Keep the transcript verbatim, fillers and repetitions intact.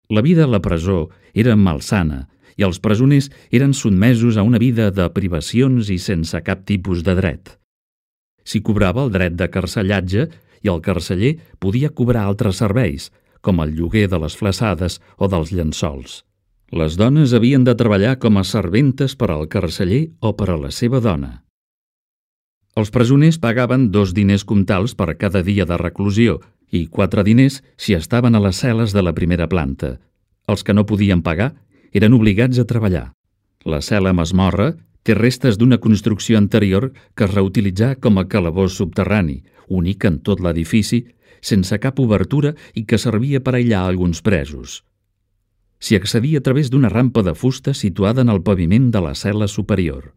La vida a la presó era malsana i els presoners eren sotmesos a una vida de privacions i sense cap tipus de dret. S'hi cobrava el dret de carcellatge i el carceller podia cobrar altres serveis, com el lloguer de les flassades o dels llençols. Les dones havien de treballar com a serventes per al carceller o per a la seva dona. Els presoners pagaven dos diners comtals per cada dia de reclusió i quatre diners si estaven a les cel·les de la primera planta. Els que no podien pagar eren obligats a treballar. La cel·la masmorra té restes d'una construcció anterior que es reutilitzà com a calabós subterrani, únic en tot l'edifici, sense cap obertura i que servia per aïllar alguns presos. S'hi accedia a través d'una rampa de fusta situada en el paviment de la cel·la superior.